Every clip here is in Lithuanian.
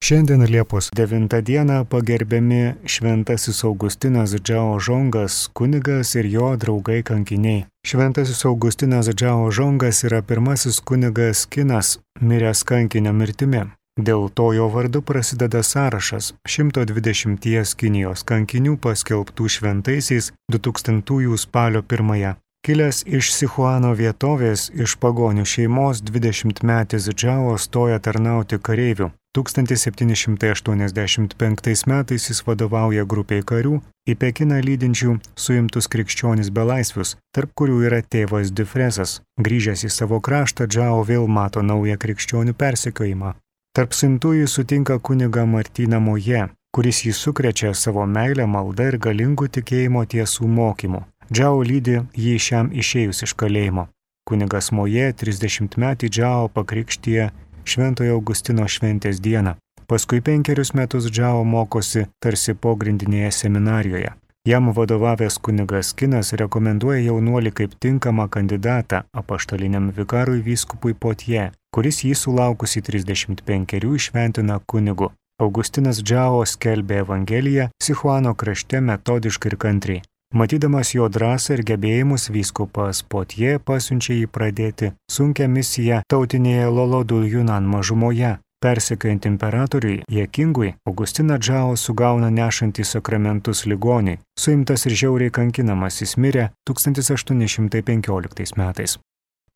Šiandien Liepos 9 dieną pagerbiami Šventasis Augustinas Džao Žongas, kunigas ir jo draugai kankiniai. Šventasis Augustinas Džao Žongas yra pirmasis kunigas Kinas, miręs kankinio mirtimi. Dėl to jo vardu prasideda sąrašas 120 Kinijos kankinių paskelbtų šventaisiais 2000 spalio 1. Kilęs iš Sichuano vietovės, iš pagonių šeimos 20-metis Džao stoja tarnauti kareivių. 1785 metais jis vadovauja grupiai karių į Pekiną lydinčių suimtus krikščionis belaisvius, tarp kurių yra tėvas Difresas. Grįžęs į savo kraštą, Džao vėl mato naują krikščionių persekiojimą. Tarp suimtųjų sutinka kunigą Martyną Moje, kuris jį sukrečia savo meilę, maldą ir galingų tikėjimo tiesų mokymu. Džao lydi jį šiam išėjus iš kalėjimo. Kunigas Moje 30-metį Džao pakrikštija Šventojo Augustino šventės dieną. Paskui 5 metus Džao mokosi tarsi pogrindinėje seminarijoje. Jam vadovavęs kunigas Kinas rekomenduoja jaunuolį kaip tinkamą kandidatą apaštaliniam vikarui vyskupui Potie, kuris jį sulaukusi 35 šventina kunigu. Augustinas Džao skelbė Evangeliją Sichuano krašte metodiškai ir kantriai. Matydamas jo drąsą ir gebėjimus, vyskupas Potie pasiunčia jį pradėti sunkią misiją tautinėje Lolodul Yunan mažumoje. Persekiojant imperatoriui Jekingui, Augustiną Džao sugauna nešantį sakramentus ligoniui. Suimtas ir žiauriai kankinamas jis mirė 1815 metais.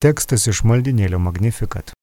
Tekstas iš maldynėlio Magnificat.